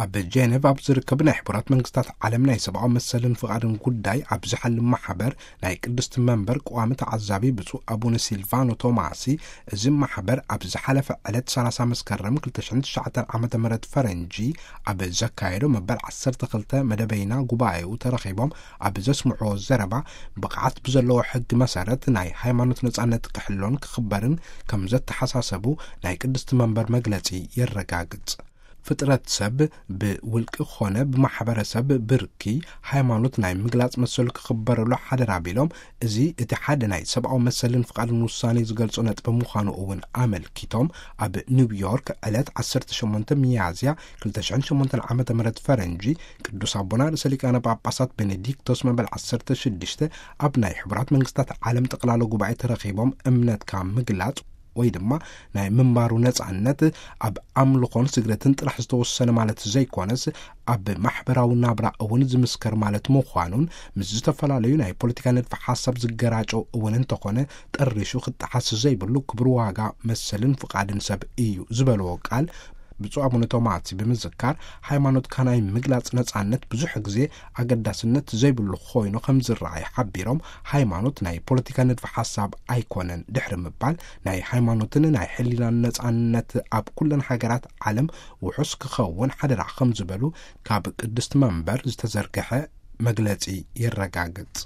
ኣብ ጄኔቭ ኣብ ዝርከብ ናይ ሕቡራት መንግስታት ዓለም ናይ ሰብኣዊ መሰልን ፍቓድን ጉዳይ ኣብ ዝሓልም ማሕበር ናይ ቅድስቲ መንበር ቀዋሚ ተዓዛቢ ብፁዕ ኣቡነ ሲልቫኖ ቶማሲ፣ እዚ ማሕበር ኣብ ዝሓለፈ ዕለት ሰላሳ መስከረም ክልተ ሽሕን ትሽዓተን ዓመተ ምህረት ፈረንጂ ኣብ ዘካየዶ መበል ዓሰርተ ክልተ መደበይና ጉባኤኡ ተረኺቦም ኣብ ዘስምዕዎ ዘረባ፣ ብቕዓት ብዘለዎ ሕጊ መሰረት ናይ ሃይማኖት ነጻነት ክሕሎን ክኽበርን ከም ዘተሓሳሰቡ ናይ ቅድስቲ መንበር መግለጺ የረጋግጽ። ፍጥረት ሰብ ብውልቂ ኾነ ብማሕበረሰብ ብርኪ ሃይማኖት ናይ ምግላጽ መሰሉ ክኽበረሉ ሓደራ ቢሎም፣ እዚ እቲ ሓደ ናይ ሰብኣዊ መሰልን ፍቓድን ውሳኔ ዝገልጾ ነጥቢ ምዃኑ እውን ኣመልኪቶም፣ ኣብ ኒውዮርክ ዕለት ዓሰርተ ሸሞንተ ሚያዝያ ክልተ ሽሕን ሸሞንተን ዓመተ ምህረት ፈረንጂ ቅዱስ ኣቦና ርእሰ ሊቃነ ጳጳሳት ቤኔዲክቶስ መበል ዓሰርተ ሽዱሽተ ኣብ ናይ ሕቡራት መንግስታት ዓለም ጠቕላላ ጉባኤ ተረኺቦም እምነትካ ምግላጽ ወይ ድማ ናይ ምንባሩ ነጻነት ኣብ ኣምልኾን ስግደትን ጥራሕ ዝተወሰነ ማለት ዘይኮነስ፣ ኣብ ማሕበራዊ ናብራ እውን ዝምስከር ማለት ምዃኑን፣ ምስ ዝተፈላለዩ ናይ ፖለቲካ ንድፊ ሓሳብ ዝገራጨው እውን እንተኾነ፣ ጠሪሹ ክጠሓስ ዘይብሉ ክብር ዋጋ መሰልን ፍቓድን ሰብ እዩ ዝበልዎ ቃል ብፁዕ ኣቡነ ቶማሲ ብምዝካር፣ ሃይማኖትካ ናይ ምግላጽ ነጻነት ብዙሕ ግዜ ኣገዳስነት ዘይብሉ ኮይኑ ከም ዝረኣይ ሓቢሮም፣ ሃይማኖት ናይ ፖለቲካ ንድፊ ሓሳብ ኣይኮነን ድሕሪ ምባል፣ ናይ ሃይማኖትን ናይ ሕሊናን ነጻነት ኣብ ኩለን ሃገራት ዓለም ውሑስ ክኸውን ሓደራ ከም ዝበሉ ካብ ቅድስቲ መንበር ዝተዘርግሐ መግለጺ የረጋግጽ።